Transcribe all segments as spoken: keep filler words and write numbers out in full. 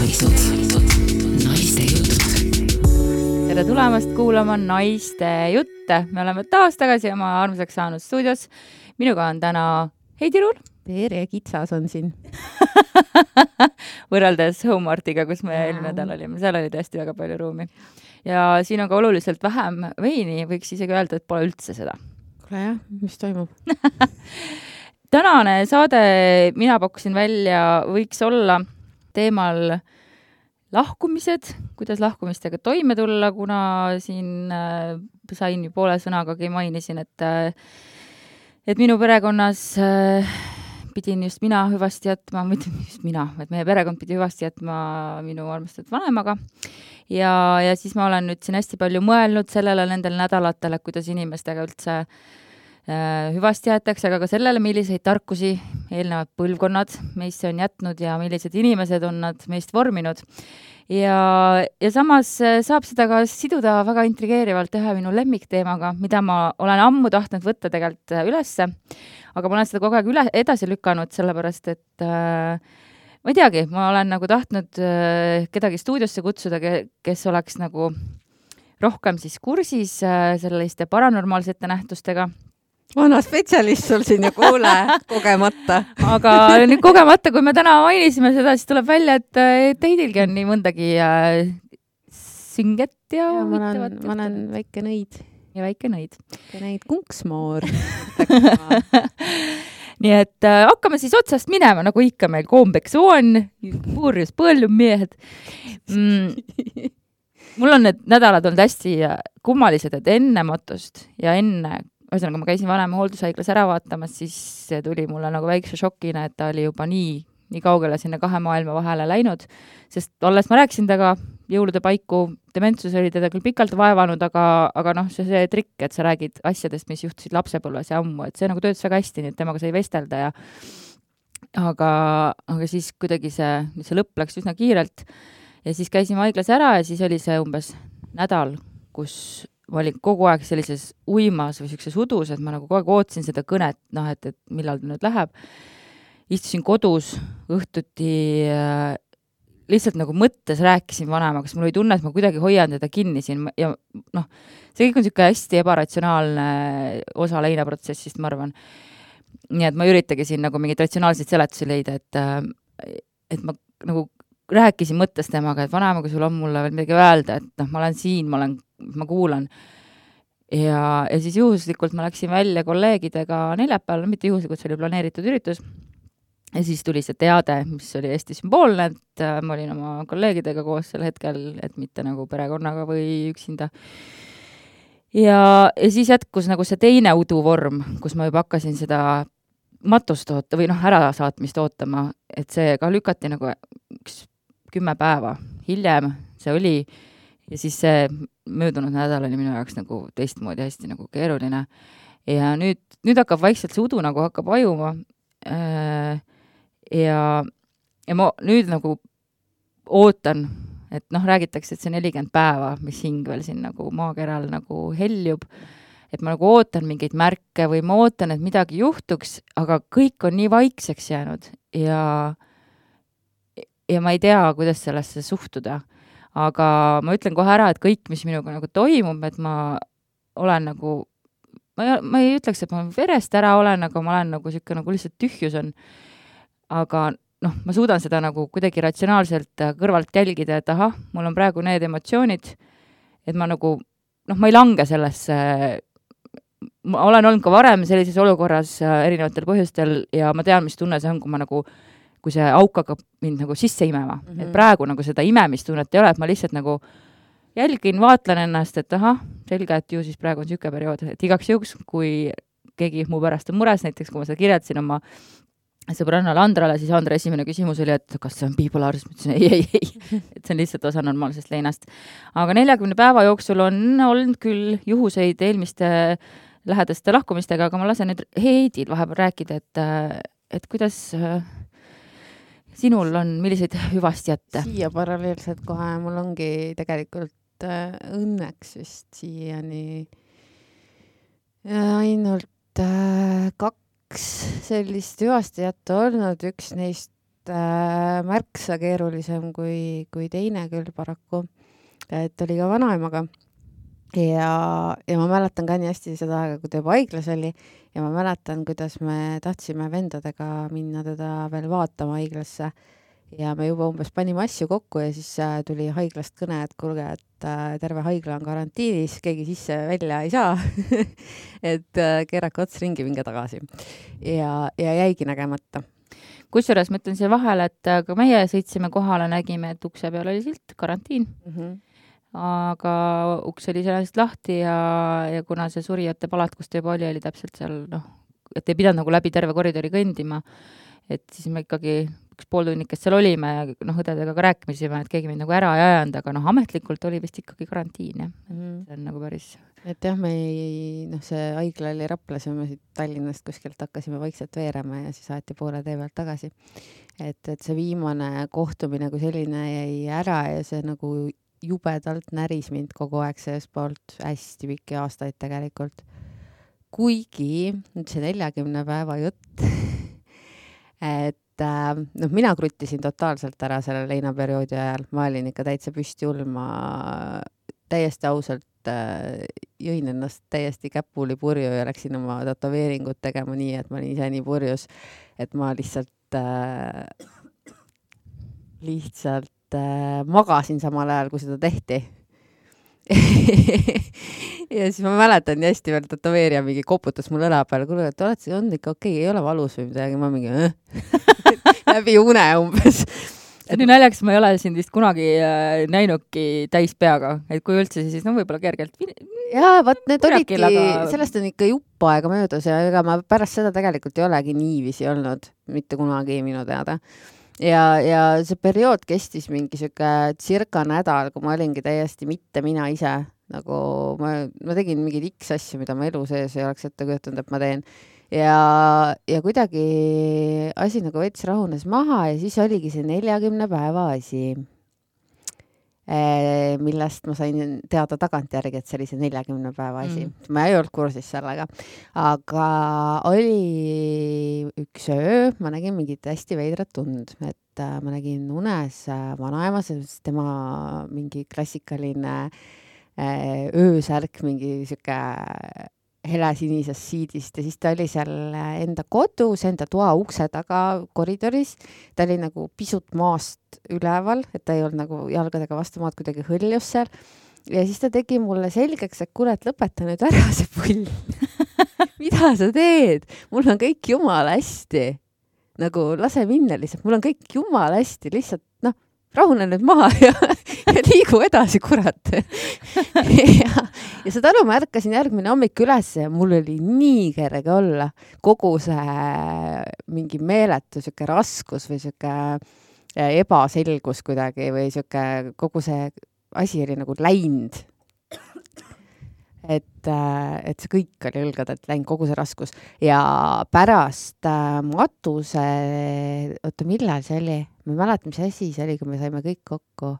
naised, naiste jutud. Tere tulemast kuulama naiste jutte. Me oleme taas tagasi oma armsaks saanud stuudios. Minuga on täna Heidi Ruul. Tere, Kitsas on siin. Võrreldes Homeartiga, kus me eelmine nädal olime. Seal oli tõesti väga palju ruumi. Ja siin on ka oluliselt vähem veini. Võiks isegi öelda, et pole üldse seda. Kuule jah, mis toimub? Tänane saade mina pakkusin välja võiks olla teemal lahkumised, kuidas lahkumistega toime tulla, kuna siin äh, sain ju poole sõnagagi mainisin, et, äh, et minu perekonnas äh, pidin just mina hüvasti jätma, mitte just mina, et meie perekond pidi hüvasti jätma minu armastatud vanemaga. Ja, ja siis ma olen nüüd siin hästi palju mõelnud sellele nendel nädalatel, kuidas inimestega üldse äh, hüvasti jäetakse, aga ka sellele, milliseid tarkusi eelnevad põlvkonnad meisse on jätnud ja millised inimesed on nad meist vorminud. Ja, ja samas saab seda ka siduda väga intrigeerivalt ühe minu lemmikteemaga, mida ma olen ammu tahtnud võtta tegelikult ülesse, aga ma olen seda kogu aeg üle, edasi lükanud, sellepärast et äh, ma ei teagi, ma olen nagu tahtnud äh, kedagi stuudiosse kutsuda, kes oleks nagu rohkem siis kursis äh, selliste paranormaalsete nähtustega. Vana spetsialist sul siin ja kuule, kogemata. Aga nüüd kogemata, kui me täna mainisime seda, siis tuleb välja, et, et Heidilgi on nii mõndagi äh, sünget ja, ja ma olen, ma olen väike nõid. Ja väike nõid. Väike nõid kunksmoor. Nii et äh, hakkame siis otsast minema, nagu ikka meil kombeks on, puurjus põllum mehed. Mm. Mul on need nädalad olnud hästi kummalised, et enne matust ja enne ühesõnaga, ma käisin vanema hooldushaiglas ära vaatamas, siis see tuli mulle nagu väikse šokina, et ta oli juba nii, nii kaugele sinna kahe maailma vahele läinud, sest olles ma rääkisin taga jõulude paiku, dementsus oli teda küll pikalt vaevanud, aga, aga noh, see, see trikk, et sa räägid asjadest, mis juhtusid lapsepõlves ja ammu, et see nagu töötas väga hästi, nii et temaga sai vestelda ja aga, aga siis kuidagi see, see lõpp läks üsna kiirelt ja siis käisime haiglas ära ja siis oli see umbes nädal, kus ma olin kogu aeg sellises uimas või sellises udus, et ma nagu kogu aeg ootsin seda kõnet, noh, et, et millal ta nüüd läheb. Istusin kodus õhtuti äh, lihtsalt nagu mõttes rääkisin vanemaga, kas mul oli tunne, et ma kuidagi hoian teda kinni siin ja noh, see kõik on niisugune hästi ebaratsionaalne osa leinaprotsessist, ma arvan. Nii et ma üritagi siin nagu mingit ratsionaalseid seletusi leida, et, äh, et ma nagu rääkisin mõttes temaga, et vanema, kui sul on mulle veel midagi öelda, et noh, ma olen siin, ma olen ma kuulan. Ja, ja siis juhuslikult ma läksin välja kolleegidega neljapäeval, mitte juhuslikult, see oli planeeritud üritus. Ja siis tuli see teade, mis oli hästi sümboolne, et ma olin oma kolleegidega koos sel hetkel, et mitte nagu perekonnaga või üksinda. Ja, ja siis jätkus nagu see teine uduvorm, kus ma juba hakkasin seda matust oota või noh, ära saatmist ootama, et see ka lükati nagu üks kümme päeva hiljem, see oli ja siis see möödunud nädal oli minu jaoks nagu teistmoodi hästi nagu keeruline. Ja nüüd, nüüd hakkab vaikselt see udu nagu hakkab ajuma. Ja, ja ma nüüd nagu ootan, et noh, räägitakse, et see nelikümmend päeva, mis hing veel siin nagu maakeral nagu heljub, et ma nagu ootan mingeid märke või ma ootan, et midagi juhtuks, aga kõik on nii vaikseks jäänud ja, ja ma ei tea, kuidas sellesse suhtuda. Aga ma ütlen kohe ära, et kõik, mis minuga nagu toimub, et ma olen nagu, ma ei, ma ei ütleks, et ma verest ära olen, aga ma olen nagu siuke nagu lihtsalt tühjus on. Aga noh, ma suudan seda nagu kuidagi ratsionaalselt kõrvalt jälgida, et aha, mul on praegu need emotsioonid, et ma nagu, noh, ma ei lange sellesse, ma olen olnud ka varem sellises olukorras erinevatel põhjustel ja ma tean, mis tunne see on, kui ma nagu kui see auk hakkab mind nagu sisse imema. Mm-hmm. Et praegu nagu seda imemistunnet ei ole, et ma lihtsalt nagu jälgin, vaatlen ennast, et aha, selge, et ju siis praegu on siuke periood, et igaks juhuks, kui keegi mu pärast on mures, näiteks kui ma seda kirjeldasin oma sõbrannale Andrale, siis Andra esimene küsimus oli, et kas see on bipolaarsus, ma ütlesin, ei, ei, ei, et see on lihtsalt osa normaalsest leinast. Aga neljakümne päeva jooksul on olnud küll juhuseid eelmiste lähedaste lahkumistega, aga ma lasen nüüd Heidil vahepeal rääkida, et, et kuidas sinul on, milliseid hüvasti jätte? Siia paralleelselt kohe, mul ongi tegelikult äh, õnneks vist siiani äh, ainult äh, kaks sellist hüvasti jätta olnud, üks neist äh, märksa keerulisem kui, kui teine küll paraku. Et oli ka vanaemaga ja, ja ma mäletan ka nii hästi seda aega, kui ta juba haiglas oli ja ma mäletan, kuidas me tahtsime vendadega minna teda veel vaatama haiglasse ja me juba umbes panime asju kokku ja siis äh, tuli haiglast kõne, et kuulge, et äh, terve haigla on karantiinis, keegi sisse välja ei saa et äh, keerake ots ringi, minge tagasi ja, ja jäigi nägemata. Kusjuures ma ütlen siia vahele, et ka meie sõitsime kohale, nägime, et ukse peal oli silt, karantiin. Mm-hmm. Aga uks oli sellest lahti ja, ja kuna see surijate palat, kus ta juba oli, oli täpselt seal, noh, et ei pidanud nagu läbi terve koridori kõndima, et siis me ikkagi üks pool tunnikest seal olime ja noh, õdedega ka rääkimisime, et keegi mind nagu ära ei ajanud, aga noh, ametlikult oli vist ikkagi karantiin, jah. Mm-hmm. See on nagu päris... Et jah, me ei, noh, see haigla oli Raplas ja me siit Tallinnast kuskilt hakkasime vaikselt veerema ja siis aeti poole tee pealt tagasi. Et, et see viimane kohtumine kui selline jäi ära ja see nagu jubedalt näris mind kogu aeg sellest poolt hästi pikki aastaid tegelikult. Kuigi nüüd see neljakümne päeva jutt, et noh, mina kruttisin totaalselt ära selle leinaperioodi ajal. Ma olin ikka täitsa püsti hull, ma täiesti ausalt jõin ennast täiesti käpuli purju ja läksin oma tatoveeringut tegema nii, et ma olin ise nii purjus, et ma lihtsalt äh, lihtsalt äh, magasin samal ajal, kui seda tehti. ja siis ma mäletan nii hästi veel tatoveerija mingi koputas mul õla peale, kuule, et oled, on ikka okei, ei ole valus või midagi, ma mingi äh? läbi une umbes. See nii näljaks, ma ei ole siin vist kunagi äh, näinudki täis peaga, et kui üldse siis, no võib-olla kergelt. Jaa, vaat need olidki, aga... sellest on ikka jupp aega möödus ja ega ma pärast seda tegelikult ei olegi niiviisi olnud, mitte kunagi minu teada. Ja, ja see periood kestis mingi siuke circa nädal, kui ma olingi täiesti mitte mina ise. Nagu ma, ma tegin mingid X asju, mida ma elu sees ei oleks ette kujutanud, et ma teen. Ja, ja kuidagi asi nagu veits rahunes maha ja siis oligi see neljakümne päeva asi, millest ma sain teada tagantjärgi, et see oli see neljakümne päeva asi. Mm. Ma ei olnud kursis sellega. Aga oli üks öö, ma nägin mingit hästi veidrat tund, et ma nägin unes vanaema, tema mingi klassikaline öösärk, mingi siuke helesinisest siidist ja siis ta oli seal enda kodus, enda toa ukse taga koridoris. Ta oli nagu pisut maast üleval, et ta ei olnud nagu jalgadega vastu maad kuidagi hõljus seal. Ja siis ta tegi mulle selgeks, et kuule, et lõpeta nüüd ära see pull. Mida sa teed? Mul on kõik jumala hästi. Nagu lase minna lihtsalt. Mul on kõik jumala hästi. Lihtsalt, noh, rahune nüüd maha ja, ja liigu edasi, kurat. ja, ja seda aru ma ärkasin järgmine hommik üles ja mul oli nii kerge olla. Kogu see mingi meeletu siuke raskus või siuke ebaselgus kuidagi või siuke kogu see asi oli nagu läinud. Et, et see kõik oli õlgadelt läinud, kogu see raskus. Ja pärast matuse, oota, millal see oli? Ma ei mäleta, mis asi see oli, kui me saime kõik kokku.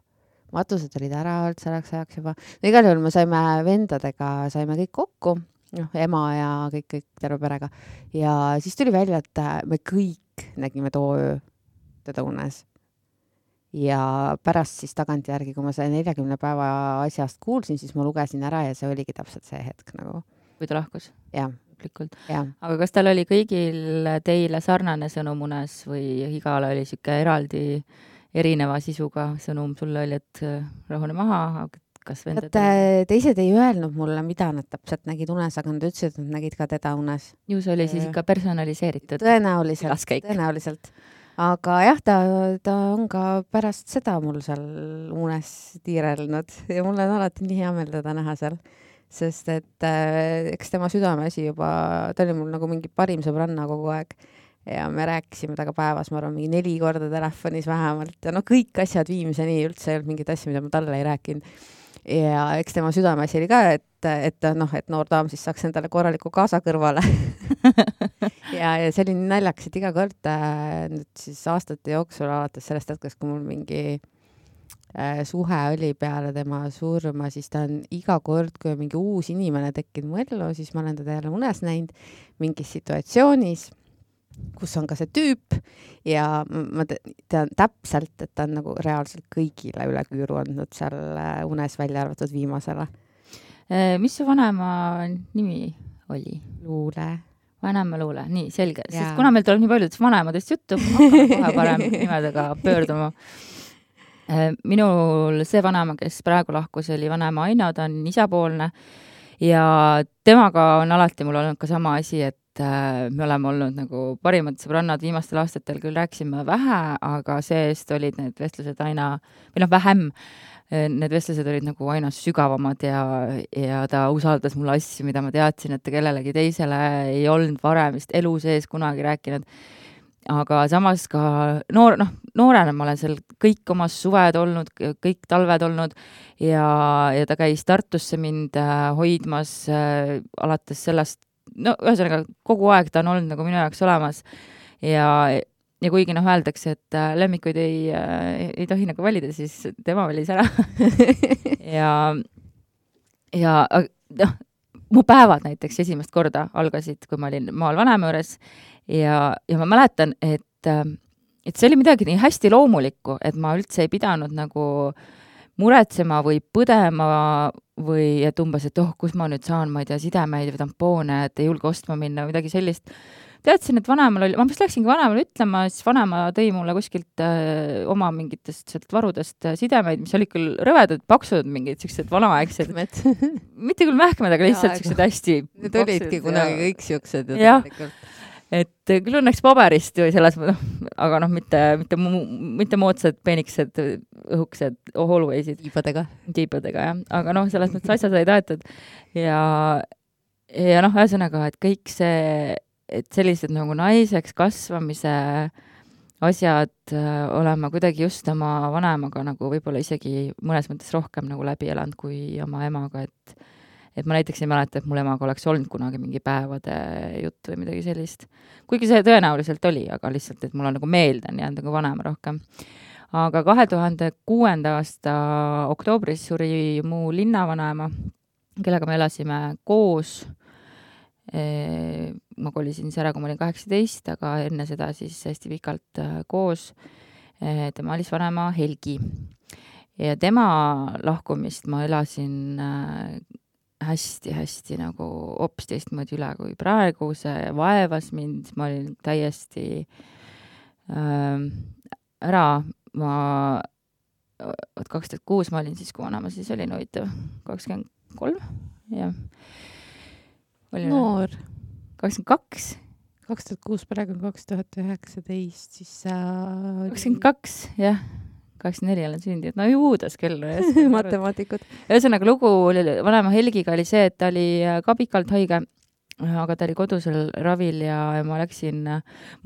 Matused olid ära olnud selleks ajaks juba. No igal juhul me saime vendadega, saime kõik kokku, noh, ema ja kõik, kõik terve perega. Ja siis tuli välja, et me kõik nägime too öö teda unes. Ja pärast siis tagantjärgi, kui ma see neljakümne päeva asjast kuulsin, siis ma lugesin ära ja see oligi täpselt see hetk nagu. Või ta lahkus? Jah. Ja. Aga kas tal oli kõigil teile sarnane sõnum unes või igale oli siuke eraldi erineva sisuga sõnum? Sulle oli, et rahune maha, kas vendad? Et teised ei öelnud mulle, mida nad täpselt nägid unes, aga nad ütlesid, et nad nägid ka teda unes. Ju see oli siis ikka personaliseeritud? Tõenäoliselt, tõenäoliselt. Aga jah, ta, ta on ka pärast seda mul seal unes tiirelnud ja mul on alati nii hea meel teda näha seal, sest et äh, eks tema südameasi juba, ta oli mul nagu mingi parim sõbranna kogu aeg ja me rääkisime taga päevas, ma arvan, mingi neli korda telefonis vähemalt ja no kõik asjad viimseni üldse ei olnud mingid asjad, mida ma talle ei rääkinud. Ja eks tema südameasi oli ka, et, et, noh, et noor daam siis saaks endale korraliku kaasa kõrvale. ja, ja see oli nii naljakas, et iga kord nüüd siis aastate jooksul alates sellest hetkest, kui mul mingi äh, suhe oli peale tema surma, siis ta on iga kord, kui on mingi uus inimene tekkinud mu ellu, siis ma olen teda jälle unes näinud mingis situatsioonis kus on ka see tüüp ja ma tean täpselt, et ta on nagu reaalselt kõigile üle küüru andnud seal unes välja arvatud viimasele. Mis su vanema nimi oli? Luule. Vanema Luule, nii selge. Ja. Sest kuna meil tuleb nii paljudest vanemadest juttu, ma hakkan kohe parem nimedega pöörduma. Minul see vanema, kes praegu lahkus, oli vanema Aino, ta on isapoolne ja temaga on alati mul olnud ka sama asi, et me oleme olnud nagu parimad sõbrannad viimastel aastatel, küll rääkisime vähe, aga see-eest olid need vestlused aina, või noh, vähem. Need vestlused olid nagu aina sügavamad ja, ja ta usaldas mulle asju, mida ma teadsin, et ta kellelegi teisele ei olnud varem vist elu sees kunagi rääkinud. Aga samas ka noor, noh, noorena ma olen seal kõik omas suved olnud, kõik talved olnud ja, ja ta käis Tartusse mind hoidmas äh, alates sellest, no ühesõnaga kogu aeg ta on olnud nagu minu jaoks olemas ja Ja kuigi noh öeldakse, et lemmikuid ei, ei tohi nagu valida, siis tema valis ära. ja ja noh, mu päevad näiteks esimest korda algasid, kui ma olin maal vanema juures ja, ja ma mäletan, et, et see oli midagi nii hästi loomulikku, et ma üldse ei pidanud nagu muretsema või põdema või et umbes, et oh, kus ma nüüd saan, ma ei tea, sidemeid või tampoone, et ei julge ostma minna või midagi sellist. Teadsin, et vanemal oli, ma vist läksingi vanemal ütlema, siis vanema tõi mulle kuskilt äh, oma mingitest sealt varudest sidemeid, mis olid küll rõvedad, paksud, mingid siuksed vanaaegsed. Mitte küll mähkmed, aga lihtsalt siuksed hästi need olidki kunagi kõik siuksed. Jah, et küll õnneks paberist või selles, aga noh, mitte, mitte, mitte moodsad, peeniksed, õhuksed, hallwaysid. Tiibadega. Tiibadega, jah. Aga noh, selles mõttes asja sai taetud. Ja, ja noh, ühesõnaga, et kõik see et sellised nagu naiseks kasvamise asjad äh, olema kuidagi just oma vanemaga nagu võib-olla isegi mõnes mõttes rohkem nagu läbi elanud kui oma emaga, et, et ma näiteks ei mäleta, et mul emaga oleks olnud kunagi mingi päevade jutt või midagi sellist. Kuigi see tõenäoliselt oli, aga lihtsalt, et mul on nagu meelde on jäänud nagu vanema rohkem. Aga kahe tuhande kuuenda aasta oktoobris suri mu linnavanaema, kellega me elasime koos. Ma kolisin ära, kui ma olin kaheksateist, aga enne seda siis hästi pikalt koos. Tema oli vanema Helgi. Ja tema lahkumist ma elasin hästi-hästi nagu hoopis teistmoodi üle kui praegu. See vaevas mind, ma olin täiesti äh, ära. Ma kaks tuhat kuus ma olin siis, kui vanema siis olin huvitav kakskümmend kolm, jah. Noor. kakskümmend kaks. kaks tuhat kuus, praegu kaks tuhat üheksateist, siis sa... kakskümmend kaks, jah. kakskümmend neli olen sündinud. No juudas küll. Matemaatikud. Ühesõnaga lugu oli, vanema Helgiga oli see, et ta oli ka pikalt haige, aga ta oli kodusel ravil ja, ja ma läksin...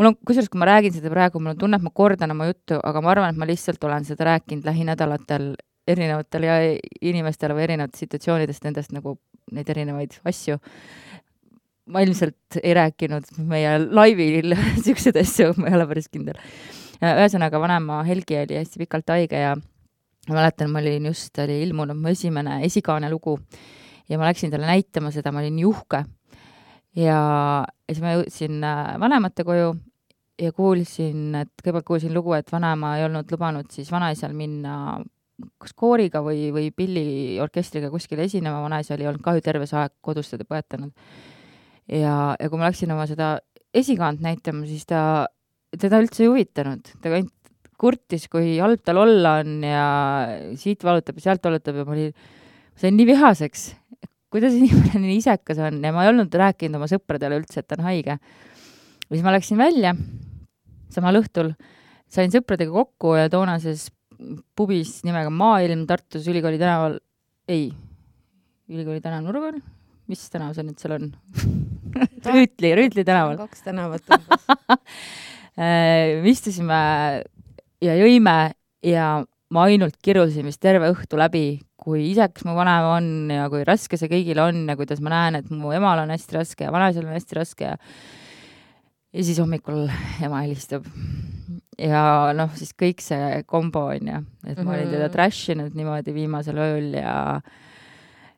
Mul on, kusjuures, kui ma räägin seda praegu, mul on tunne, et ma kordan oma juttu, aga ma arvan, et ma lihtsalt olen seda rääkinud lähinädalatel erinevatel ja inimestele või erinevatest situatsioonidest nendest nagu neid erinevaid asju. Ma ilmselt ei rääkinud meie laivil siuksed asju, ma ei ole päris kindel. Ühesõnaga, vanema Helgi oli hästi pikalt haige ja ma mäletan, ma olin just, oli ilmunud mu esimene esikaane lugu ja ma läksin talle näitama seda, ma olin juhke. Ja siis ma jõudsin vanemate koju ja kuulsin, et kõigepealt kuulsin lugu, et vanema ei olnud lubanud siis vanaisal minna kas kooriga või, või pilliorkestriga kuskile esinema, vanaisa oli olnud kahju terve see aeg kodus teda põetanud. Ja, ja kui ma läksin oma seda esikaant näitama, siis ta, teda üldse ei huvitanud. Ta ainult kurtis, kui halb tal olla on ja siit valutab ja sealt valutab ja ma olin, ma sain nii vihaseks, kuidas inimene nii isekas on ja ma ei olnud rääkinud oma sõpradele üldse, et ta on haige. Ja siis ma läksin välja samal õhtul, sain sõpradega kokku ja toonases pubis nimega Maailm Tartus Ülikooli tänaval, ei, Ülikooli tänav nurgal, mis tänav see nüüd seal on? Rüütli, Rüütli tänaval. Kaks tänavat. Istusime ja jõime ja ma ainult kirusin vist terve õhtu läbi, kui iseks mu vanem on ja kui raske see kõigil on ja kuidas ma näen, et mu emal on hästi raske ja vanaisal on hästi raske ja, ja siis hommikul ema helistab. Ja noh, siis kõik see kombo on ja, et ma olin teda trashinud niimoodi viimasel ööl ja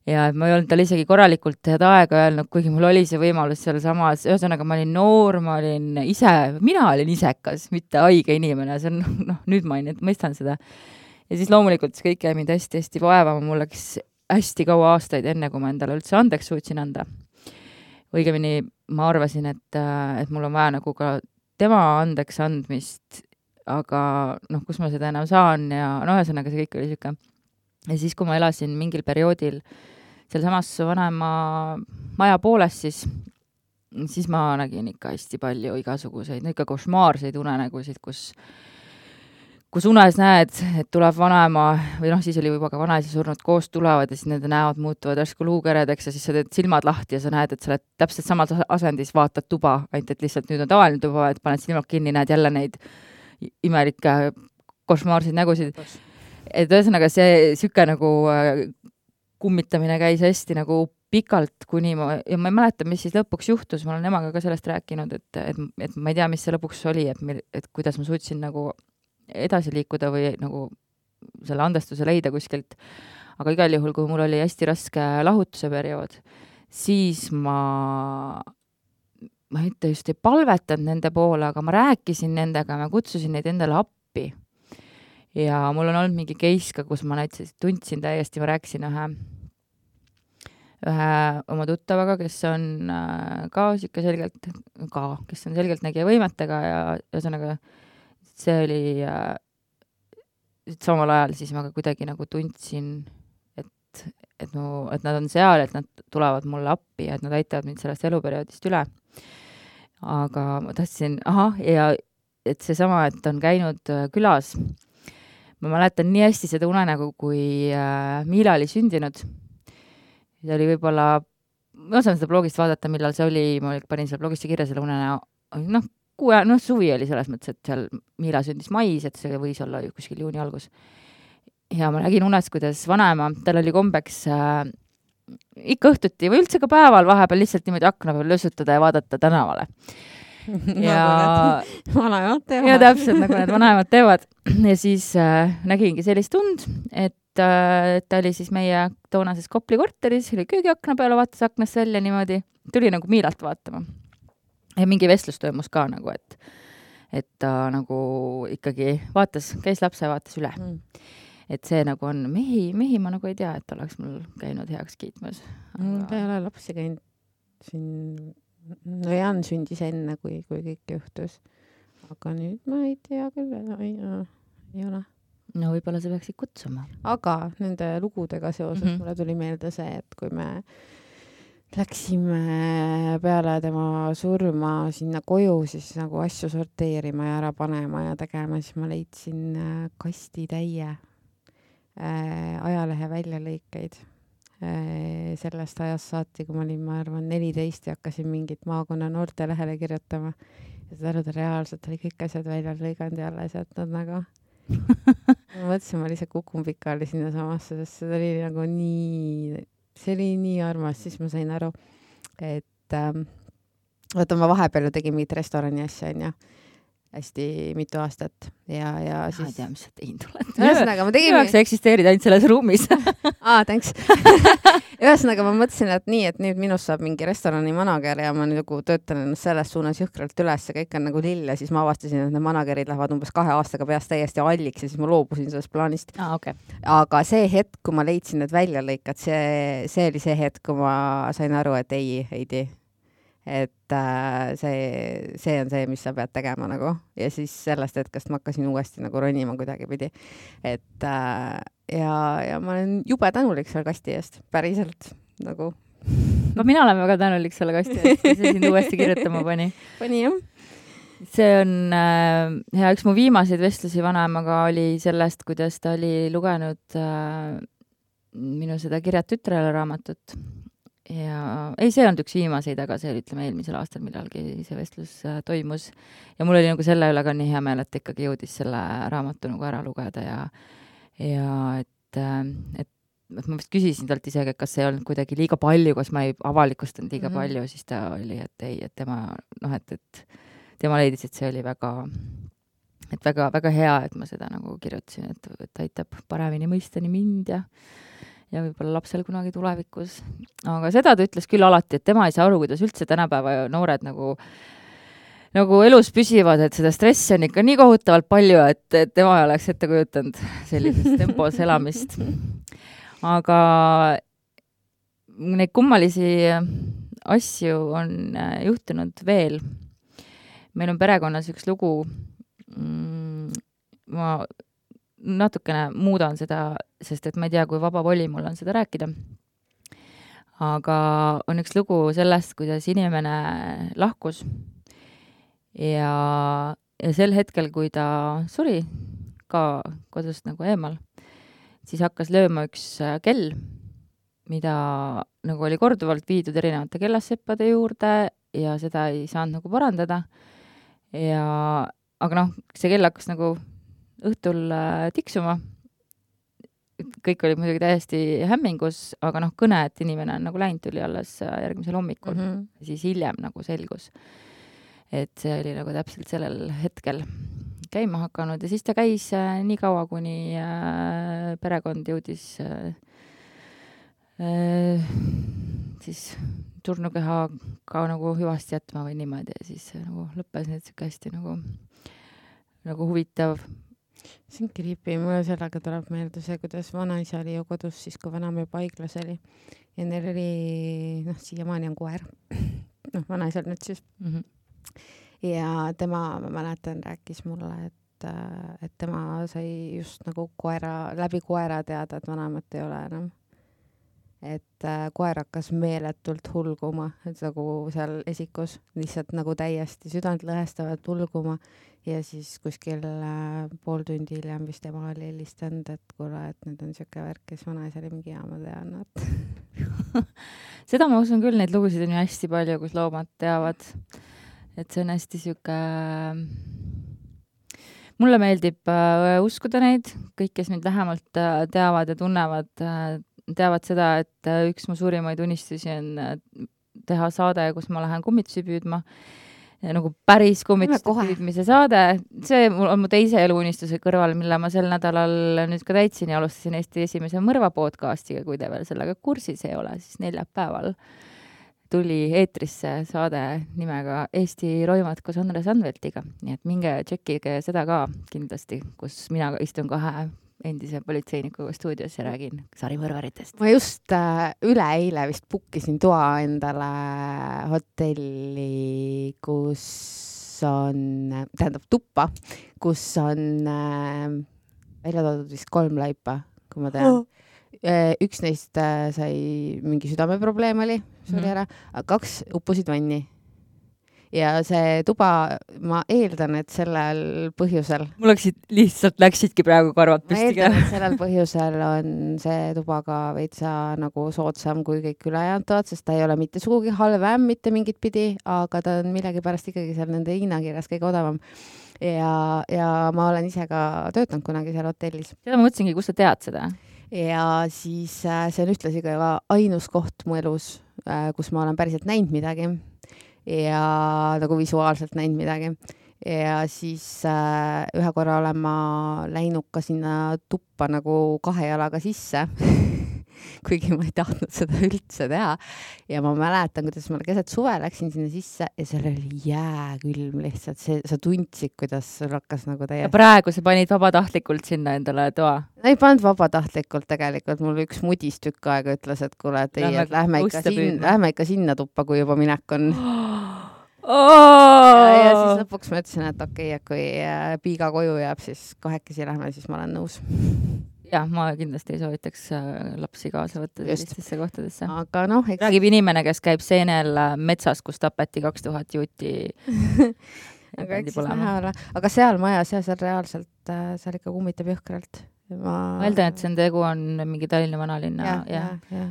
ja et ma ei olnud tal isegi korralikult head aega öelnud, kuigi mul oli see võimalus seal samas, ühesõnaga ma olin noor, ma olin ise, mina olin isekas, mitte haige inimene, see on, noh, nüüd ma ei mõistan seda. Ja siis loomulikult see kõik jäi mind hästi-hästi vaevama, mul läks hästi kaua aastaid enne, kui ma endale üldse andeks suutsin anda. Õigemini ma arvasin, et, et mul on vaja nagu ka tema andeks andmist, aga noh, kus ma seda enam saan ja no ühesõnaga see kõik oli siuke. Ja siis, kui ma elasin mingil perioodil seal samas vanema maja pooles, siis, siis ma nägin ikka hästi palju igasuguseid, ikka košmaarseid unenägusid, kus, kus unes näed, et tuleb vanema, või noh, siis oli juba ka vanaisi surnud koos tulevad ja siis nende näod muutuvad järsku luukeredeks ja siis sa teed silmad lahti ja sa näed, et sa oled täpselt samas asendis, vaatad tuba, ainult et lihtsalt nüüd on tavaline tuba, et paned silmad kinni, näed jälle neid imelikke košmaarseid nägusid. Et ühesõnaga see süke nagu kummitamine käis hästi nagu pikalt, kuni ma, ja ma ei mäleta, mis siis lõpuks juhtus, ma olen emaga ka sellest rääkinud, et, et, et ma ei tea, mis see lõpuks oli, et, et kuidas ma suutsin nagu edasi liikuda või nagu selle andestuse leida kuskilt. Aga igal juhul, kui mul oli hästi raske lahutuse periood, siis ma, ma mitte just ei palvetanud nende poole, aga ma rääkisin nendega, ma kutsusin neid endale appi. Ja mul on olnud mingi case ka, kus ma näiteks tundsin täiesti, ma rääkisin ühe, ühe oma tuttavaga, kes on ka siuke selgelt, ka, kes on selgelt nägija võimetega ja ühesõnaga see oli samal ajal siis ma ka kuidagi nagu tundsin, et, et, no, et nad on seal, et nad tulevad mulle appi ja et nad aitavad mind sellest eluperioodist üle. Aga ma tahtsin, aha, ja et see sama, et on käinud külas. Ma mäletan nii hästi seda unenägu, kui äh, Miila oli sündinud. See oli võib-olla, ma saan seda blogist vaadata, millal see oli, ma panin selle blogist kirja selle unenägu, noh, kuue, noh, suvi oli selles mõttes, et seal Miila sündis mais, et see võis olla kuskil juuni algus. Ja ma nägin unes, kuidas vanaema, tal oli kombeks äh, ikka õhtuti või üldse ka päeval vahepeal lihtsalt niimoodi akna peal lösutada ja vaadata tänavale. Ja vanaemad teevad. Ja täpselt nagu need vanaemad teevad. Ja siis äh, nägingi sellist tund, et äh, ta oli siis meie toonases Kopli korteris, oli köögiakna peale, vaatas aknast välja niimoodi, tuli nagu Miilalt vaatama. Ja mingi vestlus toimus ka nagu, et, et ta nagu ikkagi vaatas, käis lapse ja vaatas üle. Mm. Et see nagu on, mehi, mehi ma nagu ei tea, et oleks mul käinud heaks kiitmas. Mul ei ole lapsi käinud siin. No Jan sündis enne, kui, kui kõik juhtus. Aga nüüd ma ei tea küll, ei, ei ole. No võib-olla sa peaksid kutsuma. Aga nende lugudega seoses mm-hmm. mulle tuli meelde see, et kui me läksime peale tema surma sinna koju, siis nagu asju sorteerima ja ära panema ja tegema, siis ma leidsin kasti täie äh, ajalehe väljalõikeid. Sellest ajast saati, kui ma olin, ma arvan, neliteist ja hakkasin mingit maakonna noorte lehele kirjutama. Ja seda arvada reaalselt oli kõik asjad välja lõiganud ja alles jätnud nagu. Ma mõtlesin, ma lihtsalt kukun pikali sinna samasse, sest see oli nagu nii, see oli nii armas, siis ma sain aru, et ähm, võtta ma vahepeal tegin mingit restorani asja, on ja hästi mitu aastat ja, ja siis... Ma ei tea, mis sa teinud oled. Ühesõnaga, ma tegin... Üheks eksisteerid ainult selles ruumis. Aa, thanks. Ühesõnaga, ma mõtlesin, et nii, et nüüd minust saab mingi restorani manager ja ma nagu töötan ennast selles suunas jõhkralt üles ja kõik on nagu lill ja siis ma avastasin, et need managerid lähevad umbes kahe aastaga peast täiesti alliks ja siis ma loobusin sellest plaanist. Ah, okay. Aga see hetk, kui ma leidsin need väljalõikad, see, see oli see hetk, kui ma sain aru, et ei, ei tee. Et äh, see, see on see, mis sa pead tegema nagu. Ja siis sellest hetkest ma hakkasin uuesti nagu ronima kuidagi pidi. Et äh, ja, ja ma olen jube tänulik selle kasti eest, päriselt nagu. No mina olen väga tänulik selle kasti eest, mis see sind uuesti kirjutama pani. Pani jah. See on äh, ja üks mu viimaseid vestlusi vanaemaga oli sellest, kuidas ta oli lugenud äh, minu seda Kirjad tütrele raamatut. Ja ei, see on üks viimaseid, aga see oli, ütleme, eelmisel aastal millalgi see vestlus äh, toimus. Ja mul oli nagu selle üle ka nii hea meel, et ikkagi jõudis selle raamatu nagu ära lugeda ja, ja et, äh, et, et ma vist küsisin talt isegi, et kas see olnud kuidagi liiga palju, kas ma ei avalikustanud liiga mm-hmm. palju, siis ta oli, et ei, et tema, noh, et, et tema leidis, et see oli väga, et väga, väga hea, et ma seda nagu kirjutasin, et, et aitab paremini mõista nii mind ja ja võib-olla lapsel kunagi tulevikus. Aga seda ta ütles küll alati, et tema ei saa aru, kuidas üldse tänapäeva noored nagu, nagu elus püsivad, et seda stressi on ikka nii kohutavalt palju, et, et tema ei oleks ette kujutanud sellises tempos elamist. Aga neid kummalisi asju on juhtunud veel. Meil on perekonnas üks lugu, ma natukene muudan seda, sest et ma ei tea, kui vaba voli mul on seda rääkida. Aga on üks lugu sellest, kuidas inimene lahkus ja, ja sel hetkel, kui ta suri ka kodust nagu eemal, siis hakkas lööma üks kell, mida nagu oli korduvalt viidud erinevate kellasseppade juurde ja seda ei saanud nagu parandada. Ja, aga noh, see kell hakkas nagu õhtul tiksuma. Kõik oli muidugi täiesti hämmingus, aga noh, kõne, et inimene on nagu läinud, tuli alles järgmisel hommikul. Mm -hmm. Siis hiljem nagu selgus, et see oli nagu täpselt sellel hetkel käima hakanud ja siis ta käis äh, nii kaua, kuni äh, perekond jõudis äh, äh, siis surnukeha ka nagu hüvasti jätma või niimoodi ja siis nagu lõppes need siuke hästi nagu, nagu huvitav. See on creepy, mulle sellega tuleb meelde see, kuidas vanaisa oli ju kodus siis, kui vanamme paiglas oli ja neil oli, noh, siiamaani on koer, noh, vanaisal nüüd siis. Mm-hmm. Ja tema, ma mäletan, rääkis mulle, et, et tema sai just nagu koera, läbi koera teada, et vanemat ei ole enam. Et koer hakkas meeletult hulguma, et nagu seal esikus lihtsalt nagu täiesti südant lõhestavalt hulguma ja siis kuskil pool tundi hiljem vist tema oli helistanud, et kuule, et nüüd on siuke värk, kes vanaisa oli mingi jaama tean. Seda ma usun küll, neid lugusid on ju hästi palju, kus loomad teavad. Et see on hästi siuke, mulle meeldib äh, uskuda neid, kõik, kes mind lähemalt äh, teavad ja tunnevad, äh, teavad seda, et äh, üks mu suurimaid unistusi on äh, teha saade, kus ma lähen kummitusi püüdma, ja nagu päris kummitusi püüdmise saade. See on mu teise eluunistuse kõrval, mille ma sel nädalal nüüd ka täitsin ja alustasin Eesti esimese mõrva podcastiga, kui te veel sellega kursis ei ole, siis neljapäeval tuli eetrisse saade nimega Eesti roimad koos Andres Anveltiga. Nii et minge tšekkige seda ka kindlasti, kus mina istun kahe endise politseinikuga stuudios ja räägin sarimõrvaritest. Ma just äh, üle eile vist bukkisin toa endale hotelli, kus on, tähendab tuppa, kus on äh, välja toodud vist kolm laipa, kui ma tean. Oh. Üks neist sai mingi südameprobleem oli, see oli ära, kaks uppusid vanni. Ja see tuba, ma eeldan, et sellel põhjusel... Mul läksid, lihtsalt läksidki praegu karvad püsti. Ma eeldan, et sellel põhjusel on see tuba ka veitsa nagu soodsam kui kõik ülejäänud toad, sest ta ei ole mitte sugugi halvem, mitte mingit pidi, aga ta on millegi pärast ikkagi seal nende hinnakirjas kõige odavam. Ja, ja ma olen ise ka töötanud kunagi seal hotellis. Seda ma mõtlesingi, kus sa tead seda? Ja siis äh, see on ühtlasi ka ainus koht mu elus, äh, kus ma olen päriselt näinud midagi ja nagu visuaalselt näinud midagi. Ja siis äh, ühe korra olen ma läinud ka sinna tuppa nagu kahe jalaga sisse, kuigi ma ei tahtnud seda üldse teha. Ja ma mäletan, kuidas ma keset suve läksin sinna sisse ja seal oli jääkülm lihtsalt. See, sa tundsid, kuidas sul hakkas nagu täiesti. Ja praegu sa panid vabatahtlikult sinna endale toa? No ei pannud vabatahtlikult tegelikult. Mul üks mudis tükk aega ütles, et kuule, et ei, et lähme ikka, siin, lähme ikka sinna tuppa, kui juba minek on. Oh! Ja, ja siis lõpuks ma ütlesin, et okei, et kui piiga koju jääb, siis kahekesi lähme, siis ma olen nõus. Jah, ma kindlasti ei soovitaks lapsi kaasa võtta sellistesse kohtadesse. Aga noh, eks... Räägib inimene, kes käib seenel metsas, kus tapeti kaks tuhat juuti. aga, näha, aga seal majas ja seal reaalselt, seal ikka kummitab jõhkralt. Ma... ma eeldan, et see tegu on mingi Tallinna vanalinna. Ja, ja, ja.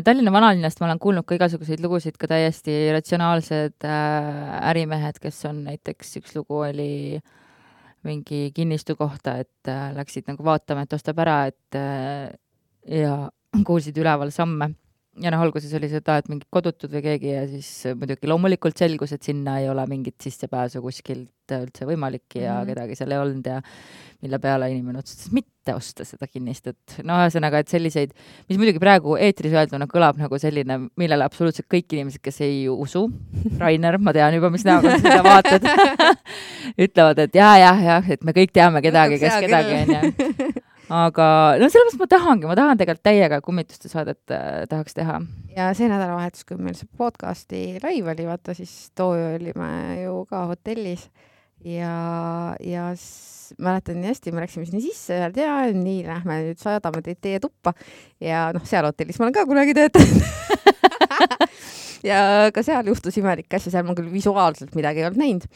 Tallinna vanalinnast ma olen kuulnud ka igasuguseid lugusid, ka täiesti ratsionaalsed ärimehed, kes on näiteks üks lugu oli mingi kinnistu kohta, et äh, läksid nagu vaatama, et ostab ära, et äh, ja kuulsid üleval samme. ja noh, alguses oli seda, et mingid kodutud või keegi ja siis muidugi loomulikult selgus, et sinna ei ole mingit sissepääsu kuskilt üldse võimalik ja Mhm. kedagi seal ei olnud ja mille peale inimene otsustas mitte osta seda kinnistut. No ühesõnaga, et selliseid, mis muidugi praegu eetris öelduna kõlab nagu selline, millele absoluutselt kõik inimesed, kes ei usu, Rainer, ma tean juba, mis näoga sa seda vaatad, ütlevad, et jah, jah, jah, et me kõik teame kedagi, kes Hea kedagi küll. on ja aga no sellepärast ma tahangi, ma tahan tegelikult täiega kummituste saadet äh, tahaks teha. ja see nädalavahetus, kui meil see podcasti live oli, vaata siis too olime ju ka hotellis ja, ja s- mäletan nii hästi, me läksime sinna sisse ja ja nii, lähme nüüd saadame teid teie tuppa ja noh, seal hotellis ma olen ka kunagi töötanud ja ka seal juhtus imelikke asju, seal ma küll visuaalselt midagi ei olnud näinud.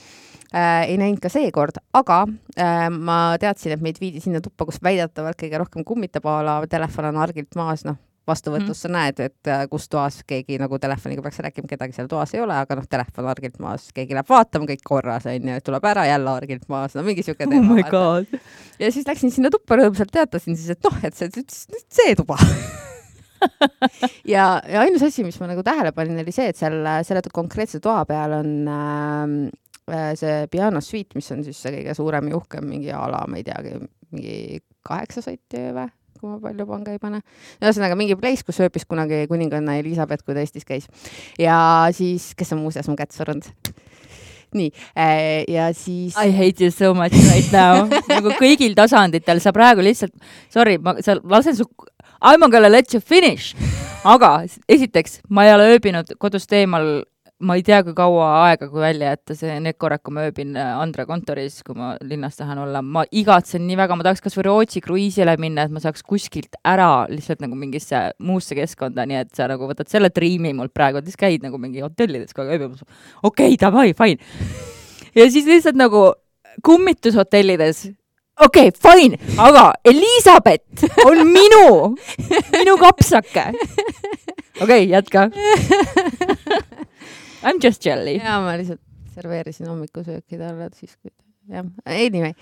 Äh, ei näinud ka seekord, aga äh, ma teadsin, et meid viidi sinna tuppa, kus väidetavalt kõige rohkem kummitab, a la telefon on argilt maas, noh, vastuvõtus sa näed, et äh, kus toas keegi nagu telefoniga peaks rääkima, kedagi seal toas ei ole, aga noh, telefon argilt maas, keegi läheb vaatama, kõik korras, on ju, tuleb ära jälle argilt maas, no mingi siuke Oh my god. ja siis läksin sinna tuppa rõõmsalt, teatasin siis, et noh, et see, see, see tuba ja, ja ainus asi, mis ma nagu tähele panin, oli see, et seal selle konkreetse toa peal on äh, see piano suite, mis on siis see kõige suurem ja uhkem mingi ala, ma ei teagi, mingi kaheksa sotti või, kui ma palju panga ei pane. Ühesõnaga mingi place, kus ööpis kunagi kuninganna Elisabeth, kui ta Eestis käis. Ja siis, kes on muuseas mu kätt surunud. Nii, ja siis... I hate you so much right now. nagu kõigil tasanditel, sa praegu lihtsalt, sorry, ma sa lasen su... I'm gonna let you finish. Aga esiteks, ma ei ole ööbinud kodust eemal, ma ei tea, kui kaua aega, kui välja jätta see need korra, kui ma ööbin Andre kontoris, kui ma linnas tahan olla. Ma igatsen nii väga, ma tahaks kas või Rootsi kruiisile minna, et ma saaks kuskilt ära lihtsalt nagu mingisse muusse keskkonda, nii et sa nagu võtad selle triimi mult praegu, et siis käid nagu mingi hotellides, kui ööbimas. Okei, okay, davai, fine. Ja siis lihtsalt nagu kummitushotellides okei, okay, fine, aga Elisabeth on minu, minu kapsake. Okei, okay, jätka. I'm just jelly. ja ma lihtsalt serveerisin hommikusööki talle, siis kui jah, anyway.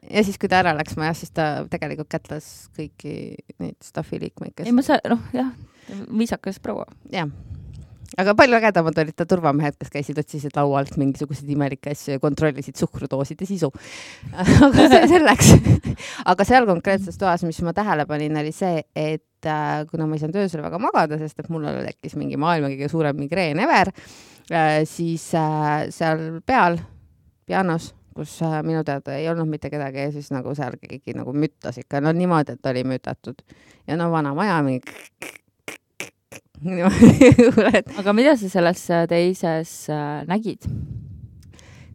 Ja siis kui ta ära läks majas, siis ta tegelikult kätlas kõiki neid staffi liikmeid, kes... ei, ma sa... noh, jah, viisakas proua. jah. Aga palju ägedamad olid ta turvamehed, kes käisid otsisid laualt mingisuguseid imelikke asju ja kontrollisid suhkrudooside sisu. Aga see selleks. Aga seal konkreetses toas, mis ma tähele panin, oli see, et äh, kuna ma ei saanud öösel väga magada, sest et mul tekkis mingi maailma kõige suurem migreen ever, äh, siis äh, seal peal, pianos, kus äh, minu teada ei olnud mitte kedagi ja siis nagu seal keegi nagu müttas ikka, no niimoodi, et oli mütatud. Ja no vana maja mingi aga mida sa selles teises äh, nägid?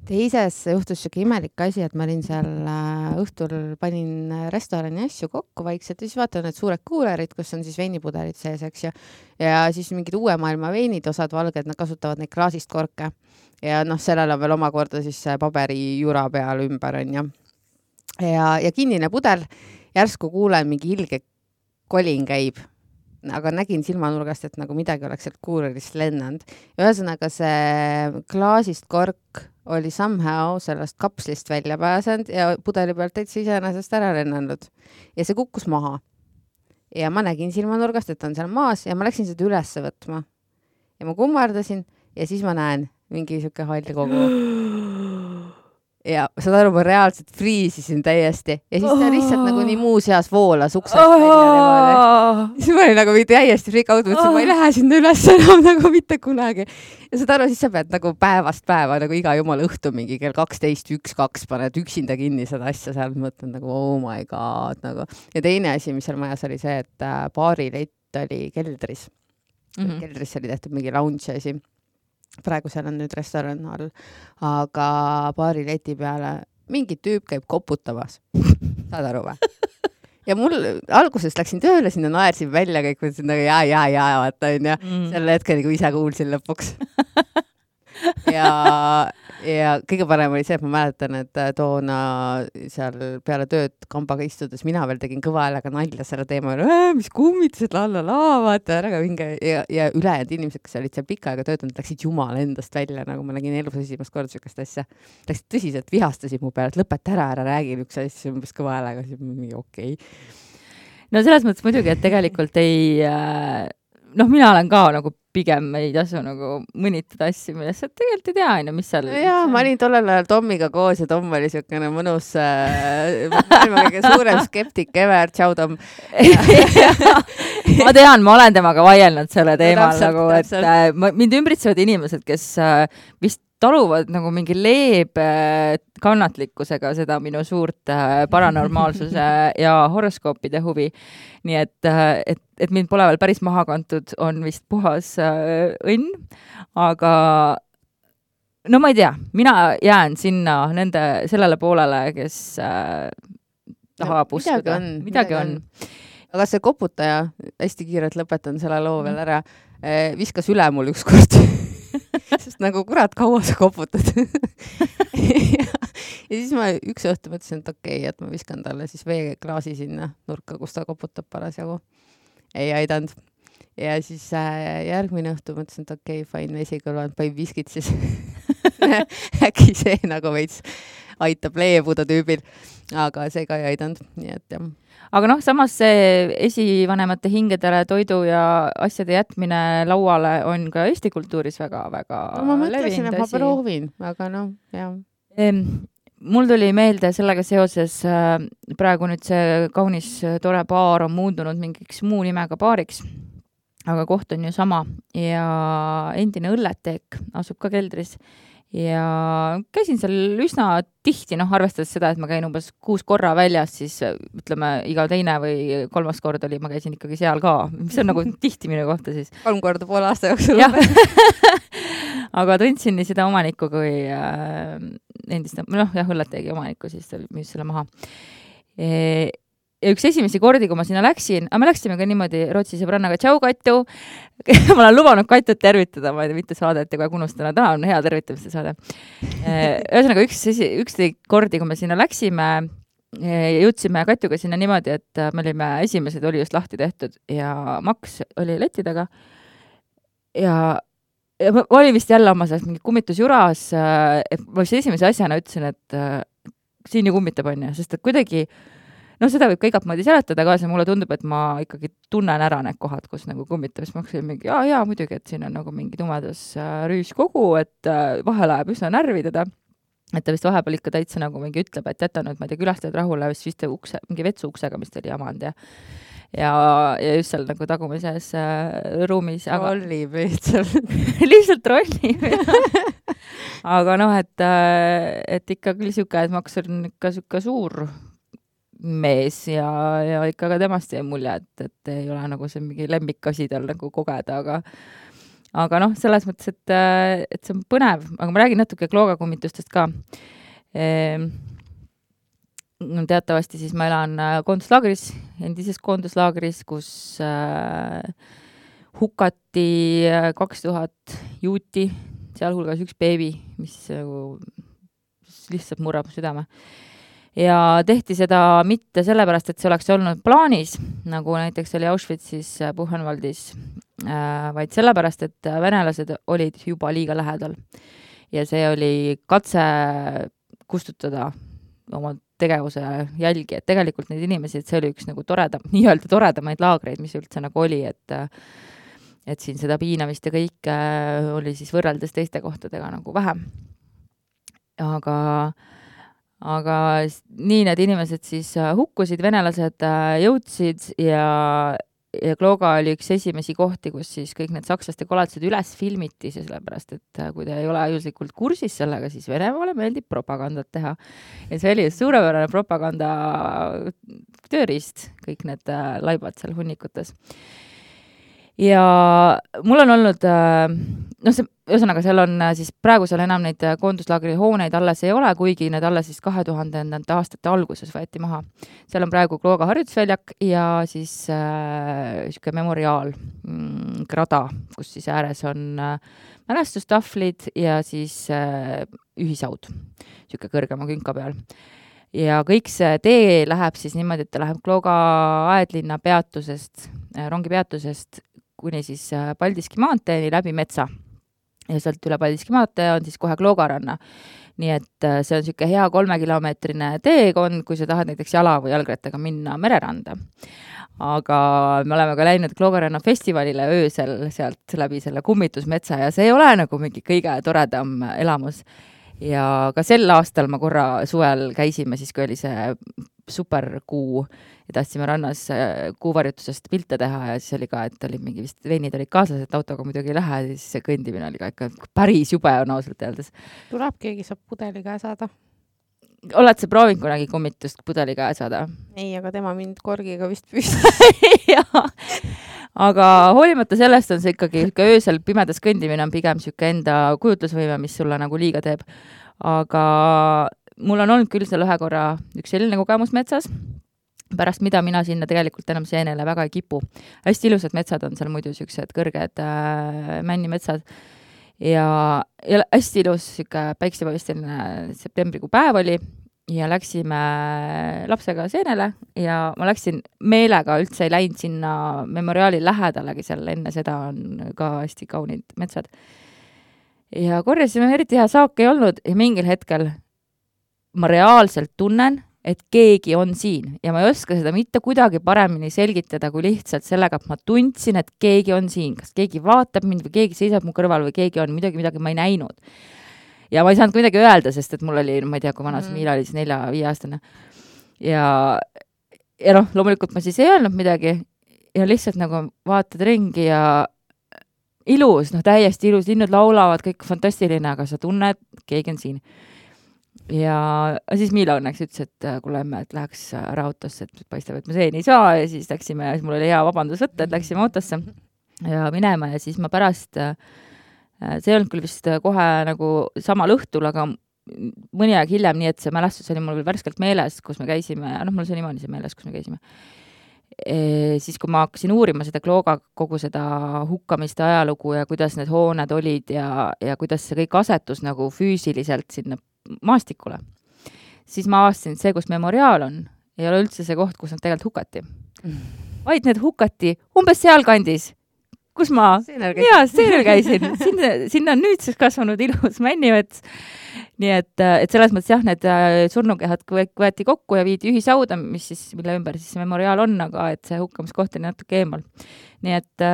Teises juhtus siuke imelik asi, et ma olin seal äh, õhtul panin restorani asju kokku vaikselt ja siis vaatan need suured kuulerid, kus on siis veinipudelid sees, eks ju. Ja siis mingid uue maailma veinid, osad valged, nad kasutavad neid klaasist korke. Ja noh, sellel on veel omakorda siis paberi jura peal ümber on ja. Ja, ja kinnine pudel, järsku kuulen mingi ilge kolin käib. Aga nägin silmanurgast, et nagu midagi oleks sealt kuulerist lennanud. Ühesõnaga see klaasist kork oli somehow sellest kapslist välja pääsenud ja pudeli pealt täitsa iseenesest ära lennanud. Ja see kukkus maha. Ja ma nägin silmanurgast, et on seal maas ja ma läksin seda ülesse võtma. Ja ma kummardasin ja siis ma näen mingi siuke hall kogu. Ja saad aru, ma reaalselt friisisin täiesti. Ja siis ta lihtsalt nagu nii muu seas voolas uksest välja. Siis ma olin nagu täiesti frikaudu, et ma ei lähe sinna üles enam nagu mitte kunagi. Ja saad aru, siis sa pead nagu päevast päeva nagu iga jumala õhtu mingi kell kaksteist, üks, kaks paned üksinda kinni seda asja seal. Mõtlen nagu oh my god. Nagu. Ja teine asi, mis seal majas oli see, et baarilett oli keldris. Mm-hmm. Keldris oli tehtud mingi lounge asi. Praegu seal on nüüd restoran all, aga baari leti peale mingi tüüp käib koputamas. Saad aru või? Ja mul alguses läksin tööle, sinna naersin välja kõik, mõtlesin nagu jaa, jaa, jaa, vaata on ja mm. selle hetkel nagu ise kuulsin lõpuks. ja, ja kõige parem oli see, et ma mäletan, et toona seal peale tööd kambaga istudes mina veel tegin kõva häälega nalja selle teema, mis kummitused, lallala, vaata ära ka mingi ja, ja ülejäänud inimesed, kes olid seal pikka aega töötanud, läksid jumala endast välja, nagu ma nägin elus esimest korda sükast asja. Läksid tõsiselt vihastasid mu peale, et lõpeta ära, ära räägi üks asja, umbes kõva häälega, siis mingi okei okay. No selles mõttes muidugi, et tegelikult ei äh, noh, mina olen ka nagu pigem ei tasu nagu mõnitada asju, millest sa tegelikult ei tea, aina, mis seal... Jaa, ma olin tollel ajal Tomiga koos ja Tom oli siukene mõnus äh, maailma kõige suurem skeptik ever, tšau Tom. Ma tean, ma olen temaga vaielnud selle teemal, täpselt, nagu, et täpselt. äh, mind ümbritsevad inimesed, kes äh, vist taluvad nagu mingi leebe kannatlikkusega seda minu suurt äh, paranormaalsuse ja horoskoopide huvi. Nii et, äh, et, et mind pole veel päris maha kantud, on vist puhas äh, õnn, aga no ma ei tea, mina jään sinna nende sellele poolele, kes äh, tahab no, uskuda. On, midagi, midagi on. on. Aga see koputaja, hästi kiirelt lõpetan selle loo veel ära, viskas üle mul ükskord. Sest nagu kurat, kaua sa koputad. ja, ja siis ma üks õhtu mõtlesin, et okei, okay, et ma viskan talle siis veeklaasi sinna nurka, kus ta koputab parasjagu. Ei aidanud. Ja siis äh, järgmine õhtu mõtlesin, et okei, okay, fine, vesi kõlvanud, panin viskid siis. Äkki see nagu veits aitab leebuda tüübil. Aga see ka ei aidanud, nii et jah. Aga noh, samas see esivanemate hingedele toidu ja asjade jätmine lauale on ka Eesti kultuuris väga-väga no, ma mõtlesin, et ma proovin, aga noh, jah. Ehm, mul tuli meelde sellega seoses, äh, praegu nüüd see kaunis tore baar on muundunud mingiks muu nimega baariks, aga koht on ju sama ja endine õlleteek asub ka keldris. Ja käisin seal üsna tihti, noh, arvestades seda, et ma käin umbes kuus korra väljas, siis ütleme, iga teine või kolmas kord oli, ma käisin ikkagi seal ka, mis on nagu tihti minu kohta siis. Kolm korda poole aasta jooksul. Aga tundsin nii seda omanikku kui äh, endist, noh, jah, õlleteegi omanikku, siis ta müüs selle maha. E Ja üks esimesi kordi, kui ma sinna läksin, aga me läksime ka niimoodi Rootsi sõbrannaga, tšau Katju, ma olen lubanud Katjut tervitada, ma ei tea, mitte saadet ja kogu unustana, täna on hea tervitamiste saade. Ühesõnaga, üks, üks kordi, kui me sinna läksime ja jõudsime Katjuga sinna niimoodi, et me olime esimesed, oli just lahti tehtud ja Max oli leti taga ja ja ma olin vist jälle oma sellest mingi kummitusjuras, et ma vist esimese asjana ütlesin, et siin ju kummitab on ju, sest et kuidagi no seda võib ka igat moodi seletada ka, see mulle tundub, et ma ikkagi tunnen ära need kohad, kus nagu kummitab, siis ma hakkasin mingi, jaa, jaa, muidugi, et siin on nagu mingi tumedas rüüskogu, et vahel läheb üsna närvi teda, et ta vist vahepeal ikka täitsa nagu mingi ütleb, et jäta nüüd, ma ei tea, külastajad rahule, vist vist ukse, mingi vetsu uksega, mis ta oli jamanud ja ja, ja just seal nagu tagumises äh, ruumis. Rollib lihtsalt. Lihtsalt rollib. Aga noh, et, et ikka küll siuke, et Max on ikka siuke suur mees ja, ja ikka ka temast jäi mulje, et, et ei ole nagu see mingi lemmikasi tal nagu kogeda, aga aga noh, selles mõttes, et, et see on põnev, aga ma räägin natuke kloogakummitustest ka. Ehm, teatavasti siis ma elan koonduslaagris, endises koonduslaagris, kus äh, hukati kaks tuhat juuti, sealhulgas üks beebi, mis nagu lihtsalt murrab südame. Ja tehti seda mitte sellepärast, et see oleks olnud plaanis, nagu näiteks oli Auschwitzis Buchenwaldis, vaid sellepärast, et venelased olid juba liiga lähedal. Ja see oli katse kustutada oma tegevuse jälgi, et tegelikult neid inimesi, et see oli üks nagu toreda, nii-öelda toredamaid laagreid, mis üldse nagu oli, et, et siin seda piinamist ja kõik oli siis võrreldes teiste kohtadega nagu vähem. Aga Aga nii need inimesed siis hukkusid, venelased jõudsid ja, ja Klooga oli üks esimesi kohti, kus siis kõik need sakslaste koledused üles filmiti, sellepärast, et kui te ei ole juslikult kursis sellega, siis Venemaale meeldib propagandat teha. Ja see oli suurepärane propaganda tööriist, kõik need laibad seal hunnikutes. Ja mul on olnud, noh see, ühesõnaga seal on siis praegu seal enam neid koonduslaagri hooneid alles ei ole, kuigi need alles siis kahe tuhandendate aastate alguses võeti maha. Seal on praegu Klooga harjutusväljak ja siis äh, siuke memoriaal mm, grada, kus siis ääres on äh, mälestustahvlid ja siis äh, ühisaud, siuke kõrgema künka peal. Ja kõik see tee läheb siis niimoodi, et ta läheb Klooga aedlinna peatusest, rongi peatusest kuni siis Paldiski maanteeni läbi metsa. Ja sealt üle Paldiski maantee on siis kohe Kloogaranna. Nii et see on siuke hea kolmekilomeetrine teekond, kui sa tahad näiteks jala või jalgrattaga minna mereranda. aga me oleme ka läinud Kloogaranna festivalile öösel sealt läbi selle kummitusmetsa ja see ei ole nagu mingi kõige toredam elamus. Ja ka sel aastal ma korra suvel käisime siis, kui oli see superkuu ja tahtsime rannas kuuvarjutusest pilte teha ja siis oli ka, et oli mingi vist veinid olid kaasas, et autoga muidugi ei lähe, siis see kõndimine oli ka ikka päris jube on ausalt öeldes. Tuleb keegi saab pudeli käe saada. Oled sa proovinud kunagi kummitust pudeli käe saada? Ei, aga tema mind korgiga vist püstis. Jaa. Aga hoolimata sellest on see ikkagi öösel pimedas kõndimine on pigem siuke enda kujutlusvõime, mis sulle nagu liiga teeb. Aga mul on olnud küll seal ühe korra üks selline kogemus metsas, pärast mida mina sinna tegelikult enam seenele väga ei kipu. Hästi ilusad metsad on seal muidu siuksed kõrged äh, männimetsad ja, ja hästi ilus siuke päiksepaisteline septembrikuu päev oli ja läksime lapsega seenele ja ma läksin meelega, üldse ei läinud sinna memoriaali lähedalegi, seal enne seda on ka hästi kaunid metsad. Ja korjasime, eriti hea saak ei olnud ja mingil hetkel ma reaalselt tunnen, et keegi on siin ja ma ei oska seda mitte kuidagi paremini selgitada kui lihtsalt sellega, et ma tundsin, et keegi on siin, kas keegi vaatab mind või keegi seisab mu kõrval või keegi on midagi, midagi ma ei näinud. Ja ma ei saanud midagi öelda, sest et mul oli, ma ei tea, kui vanas mm. Miila oli siis nelja-viie aastane. Ja, ja noh, loomulikult ma siis ei öelnud midagi ja lihtsalt nagu vaatad ringi ja ilus, noh täiesti ilus, linnud laulavad, kõik fantastiline, aga sa tunned, keegi on siin. Ja siis Miila õnneks ütles, et kuule emme, et läheks ära autosse, et paistab, et ma seeni ei saa ja siis läksime, ja siis mul oli hea vabandus võtta, et läksime autosse ja minema ja siis ma pärast see ei olnud küll vist kohe nagu samal õhtul, aga mõni aeg hiljem, nii et see mälestus oli mul veel värskelt meeles, kus me käisime, noh, mul see niimoodi see meeles, kus me käisime. E, siis, kui ma hakkasin uurima seda Klooga kogu seda hukkamiste ajalugu ja kuidas need hooned olid ja, ja kuidas see kõik asetus nagu füüsiliselt sinna maastikule, siis ma avastasin, et see, kus memoriaal on, ei ole üldse see koht, kus nad tegelikult hukati. Vaid need hukati umbes sealkandis, kus ma jaa, seenel käisin. Sinna, sinna on nüüdseks kasvanud ilus männimets. Nii et, et selles mõttes jah, need surnukehad võeti kokku ja viidi ühisauda, mis siis, mille ümber siis memoriaal on, aga et see hukkamiskoht oli natuke eemal. Nii et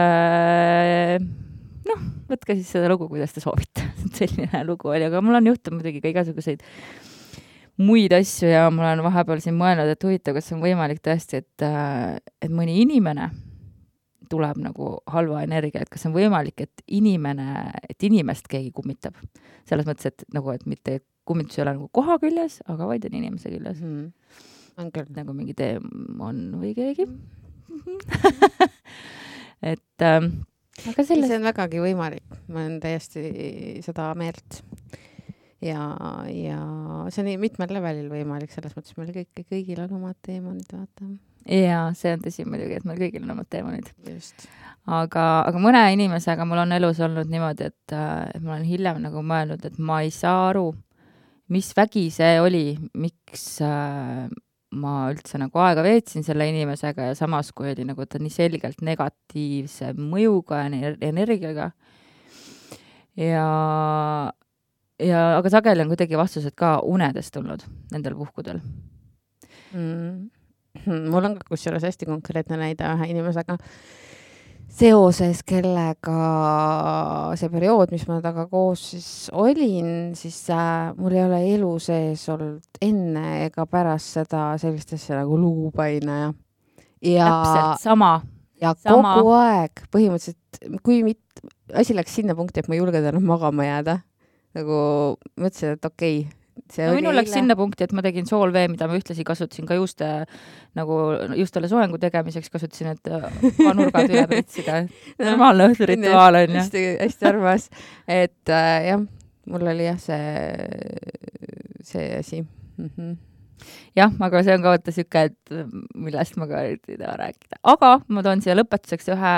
noh, võtke siis seda lugu, kuidas te soovite. Selline lugu oli, aga mul on juhtunud muidugi ka igasuguseid muid asju ja mul on vahepeal siin mõelnud, et huvitav, kas on võimalik tõesti, et, et mõni inimene tuleb nagu halva energia, et kas on võimalik, et inimene, et inimest keegi kummitab. Selles mõttes, et nagu, et mitte kummitus ei ole nagu koha küljes, aga vaid on inimese küljes. Mm. On küll. Nagu mingi teemon või keegi. et ähm, aga sellest... see on vägagi võimalik. Ma olen täiesti seda meelt. Ja, ja see on nii mitmel levelil võimalik, selles mõttes meil kõik, kõigil on omad teemonid, vaata. Ja see on tõsi muidugi, et meil kõigil on omad teemonid. Just. Aga, aga mõne inimesega mul on elus olnud niimoodi, et, et ma olen hiljem nagu mõelnud, et ma ei saa aru, mis vägi see oli, miks äh, ma üldse nagu aega veetsin selle inimesega ja samas, kui oli nagu ta nii selgelt negatiivse mõjuga ja energiaga. Ja, ja aga sageli on kuidagi vastused ka unedest tulnud nendel puhkudel. Mm. Mul on ka kusjuures hästi konkreetne näide ühe inimesega seoses, kellega see periood, mis ma taga koos siis olin, siis äh, mul ei ole elu sees olnud enne ega pärast seda sellist asja nagu luupaine ja, ja täpselt sama. Ja sama. Kogu aeg põhimõtteliselt, kui mit, asi läks sinna punkti, et ma ei julgenud enam magama jääda, nagu mõtlesin, et okei okay, no minul läks sinna punkti, et ma tegin soolvee, mida ma ühtlasi kasutasin ka juuste, nagu justele soengu tegemiseks kasutasin, et nurgad üle pritsida. Normaalne õhturituaal on. Hästi, hästi arvas. Et äh, jah, mul oli jah see, see asi. Mm-hmm. Jah, aga see on ka võtta süke, et millest ma ka ei taha rääkida. Aga ma toon siia lõpetuseks ühe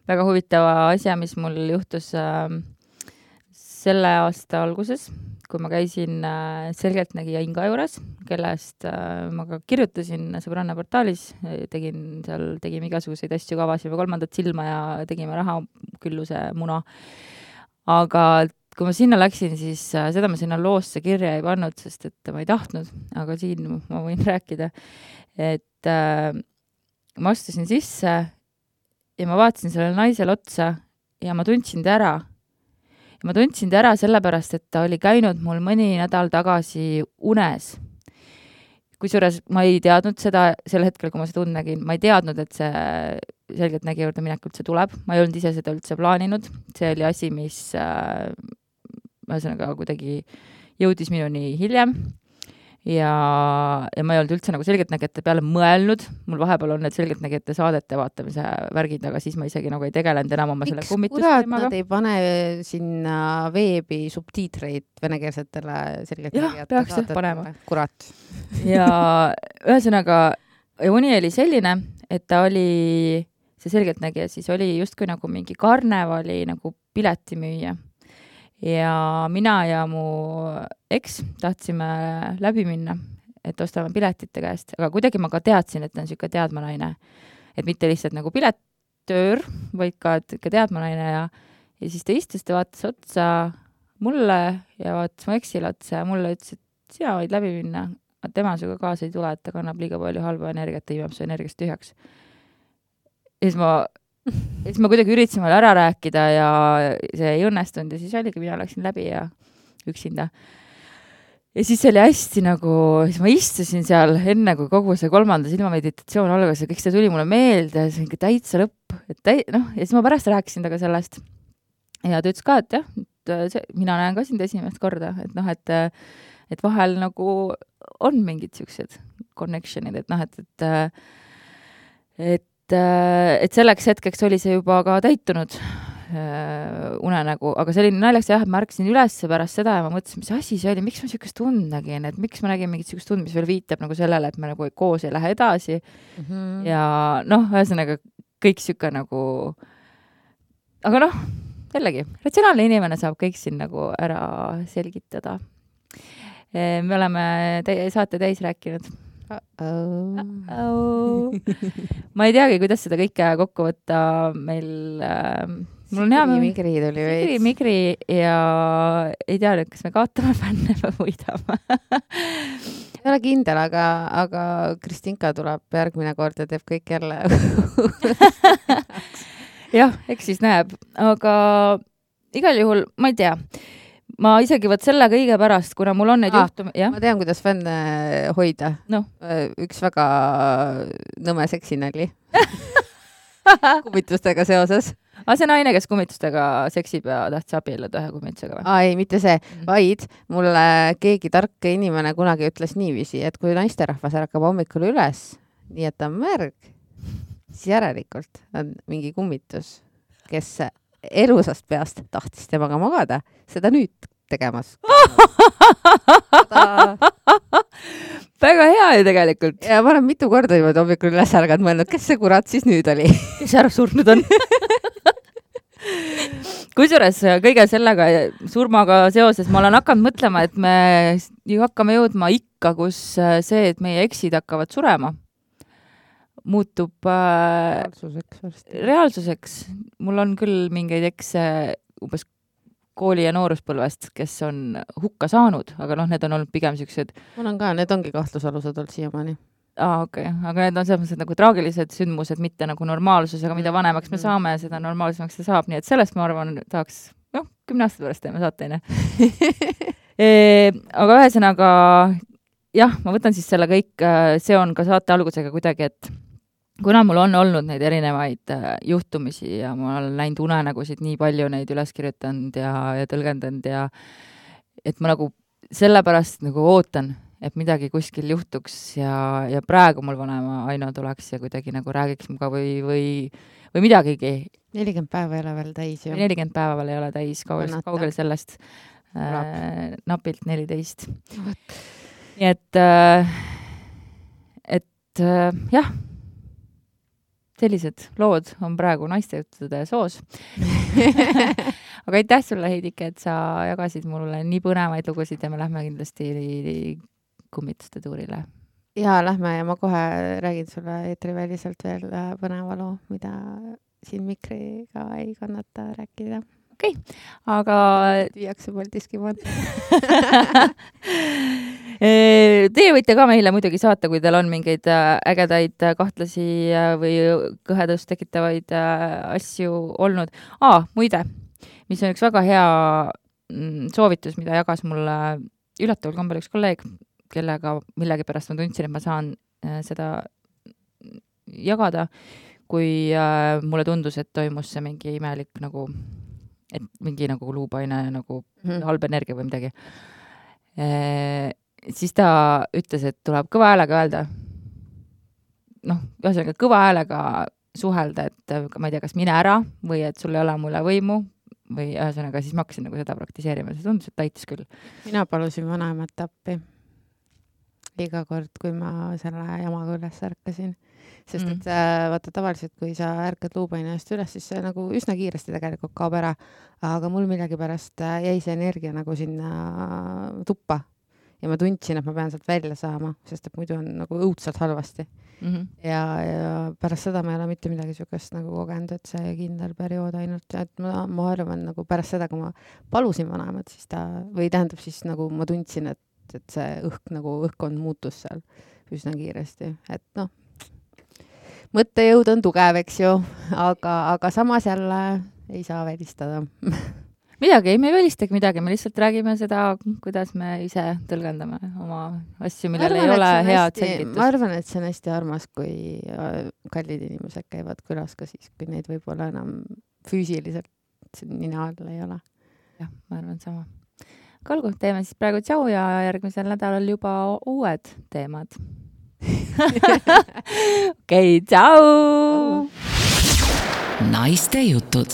väga huvitava asja, mis mul juhtus äh, selle aasta alguses, kui ma käisin äh, selgeltnägija Inga juures, kellest äh, ma ka kirjutasin sõbranna portaalis, tegin seal, tegime igasuguseid asju, kavasime kolmandat silma ja tegime rahakülluse muna. Aga kui ma sinna läksin, siis äh, seda ma sinna loosse kirja ei pannud, sest et ma ei tahtnud, aga siin ma võin rääkida, et, äh, ma astusin sisse ja ma vaatasin sellele naisele otsa ja ma tundsin ta ära. Ja ma tundsin ta ära sellepärast, et ta oli käinud mul mõni nädal tagasi unes. Kusjuures ma ei teadnud seda sel hetkel, kui ma seda und nägin. Ma ei teadnud, et see selgelt nägi juurde minek üldse tuleb. Ma ei olnud ise seda üldse plaaninud. See oli asi, mis äh, ühesõnaga kuidagi jõudis minuni hiljem. Ja, ja ma ei olnud üldse nagu selgeltnägijate peale mõelnud. Mul vahepeal on need selgeltnägijate saadete vaatamise värgid, aga siis ma isegi nagu ei tegelenud enam oma selle kummitusteemaga. Miks kurat nad ei pane sinna veebi subtiitreid venekeelsetele selgeltnägijate peaks saadetele? Panema. Kurat. Ja ühesõnaga, uni oli selline, et ta oli, see selgeltnägija siis oli justkui nagu mingi karnevali nagu piletimüüja. Ja mina ja mu eks tahtsime läbi minna, et ostame piletite käest, aga kuidagi ma ka teadsin, et ta on siuke teadmanaine, et mitte lihtsalt nagu pilettöör, vaid ka, et ikka teadmanaine ja, ja siis ta istus, ta vaatas otsa mulle ja vaatas mu eksile otsa ja mulle ütles, et sina võid läbi minna, aga tema suga kaasa ei tule, et ta kannab liiga palju halba energiat, ta imeb su energiast tühjaks. Ja siis ma ja siis ma kuidagi üritasin veel ära rääkida ja see ei õnnestunud ja siis oligi, mina läksin läbi ja üksinda. Ja siis oli hästi nagu, siis ma istusin seal enne, kui kogu see kolmanda silmameditatsioon algas ja kõik see tuli mulle meelde ja see on täitsa lõpp. Et täi, noh, ja siis ma pärast rääkisin taga sellest. Ja ta ütles ka, et jah, et see, mina näen ka sind esimest korda, et noh, et, et vahel nagu on mingid siuksed connectionid, et noh, et, et, et et selleks hetkeks oli see juba ka täitunud äh, unenägu, aga see oli naljaks jah, et ma ärkasin üles pärast seda ja ma mõtlesin, mis asi see oli, miks ma siukest tund nägin, et miks ma nägin mingit siukest tund, mis veel viitab nagu sellele, et me nagu koos ei lähe edasi mm -hmm. ja noh, ühesõnaga kõik siuke nagu aga noh, jällegi, ratsionaalne inimene saab kõik siin nagu ära selgitada. Me oleme te- saate täis rääkinud. Uh-oh. Uh-oh. Ma ei teagi, kuidas seda kõike kokku võtta meil äh, mul on hea migri tuli veits. Migri ja ei tea nüüd, kas me kaotame fänne või võidame. Ei ole kindel, aga, aga Kristinka tuleb järgmine kord ja teeb kõik jälle. Jah, eks siis näeb, aga igal juhul, ma ei tea. Ma isegi võt selle kõige pärast, kuna mul on neid ah, juhtumi... Ja? Ma tean, kuidas fänne hoida. No. Üks väga nõme seksinali. Kummitustega seoses. Aga see naine, kes kummitustega seksib ja tahtis abielluda ühe kummitusega või? Aa, ei, mitte see, vaid mulle keegi tark inimene kunagi ütles niiviisi, et kui naisterahvas ärkab hommikul üles, nii et ta on märg, siis järelikult on mingi kummitus, kes elusast peast tahtis temaga magada, seda nüüd tegemas. Väga hea ju tegelikult. Ja ma olen mitu korda juba hommikul üles ärganud mõelnud, kes see kurat siis nüüd oli? Kes ära surnud on? Kusjuures kõige sellega surmaga seoses ma olen hakanud mõtlema, et me ju hakkame jõudma ikka, kus see, et meie eksid hakkavad surema, muutub äh, reaalsuseks. reaalsuseks. Mul on küll mingeid ekse umbes kooli- ja nooruspõlvest, kes on hukka saanud, aga noh, need on olnud pigem siuksed... Mul on ka, need ongi kahtlusalused olnud siiamaani. Aa, okei, okay. Aga need on selles nagu traagilised sündmused, mitte nagu normaalsus, aga mida vanemaks me saame, seda normaalsemaks see saab, nii et sellest ma arvan, tahaks, noh, kümne aasta pärast teeme saateine. e, aga ühesõnaga, jah, ma võtan siis selle kõik, see on ka saate algusega kuidagi, et kuna mul on olnud neid erinevaid juhtumisi ja ma olen näinud unenägusid nii palju neid üles kirjutanud ja, ja tõlgendanud ja et ma nagu sellepärast nagu ootan, et midagi kuskil juhtuks ja, ja praegu mul vanema Aino tuleks ja kuidagi nagu räägiks muga või, või, või midagigi. nelikümmend päeva ei ole veel täis ju. nelikümmend päeva veel ei ole täis, kaugel, kaugel sellest äh, napilt neliteist. Nii et, äh, et äh, jah, sellised lood on praegu naiste juttude soos. Aga aitäh sulle, Heidike, et sa jagasid mulle nii põnevaid lugusid ja me lähme kindlasti kummituste tuurile. Ja lähme ja ma kohe räägin sulle eetriväliselt veel põneva loo, mida siin mikriga ei kannata rääkida. Okei, okay. Aga... Viiakse Paldiski maad. Teie võite ka meile muidugi saata, kui teil on mingeid ägedaid kahtlasi või kõhedust tekitavaid asju olnud. Aa, muide, mis on üks väga hea soovitus, mida jagas mulle üllatavalt kombel üks kolleeg, kellega millegi pärast ma tundsin, et ma saan seda jagada, kui mulle tundus, et toimus see mingi imelik nagu, et mingi nagu luupaine nagu mm. halb energia või midagi. E, siis ta ütles, et tuleb kõva häälega öelda. Noh, ühesõnaga kõva häälega suhelda, et ma ei tea, kas mine ära või et sul ei ole mulle võimu või ühesõnaga siis ma hakkasin nagu seda praktiseerima. See tundus, et taitis küll. Mina palusin vanaemat appi iga kord, kui ma selle jamaga üles ärkasin. Sest et mm. vaata tavaliselt, kui sa ärkad luupaine eest üles, siis see nagu üsna kiiresti tegelikult kaob ära. Aga mul millegi pärast jäi see energia nagu sinna tuppa. Ja ma tundsin, et ma pean sealt välja saama, sest et muidu on nagu õudselt halvasti. Mm-hmm. Ja, ja pärast seda ma ei ole mitte midagi sükest nagu kogenud, et see kindel periood ainult. Et ma, ma arvan nagu pärast seda, kui ma palusin vanaemat, siis ta, või tähendab siis nagu ma tundsin, et, et see õhk nagu õhkkond muutus seal üsna kiiresti. Et noh, mõttejõud on tugev, eks ju, aga, aga samas jälle ei saa välistada. Midagi, ei me ei välistagi midagi, me lihtsalt räägime seda, kuidas me ise tõlgendame oma asju, millel ei ole head selgitus. Ma arvan, et see on hästi armas, kui kallid inimesed käivad külas ka siis, kui neid võib-olla enam füüsiliselt nina all ei ole. Jah, ma arvan sama. Kalgu, teeme siis praegu tšau ja järgmisel nädalal juba uued teemad. Okei, tšau! Naiste jutud.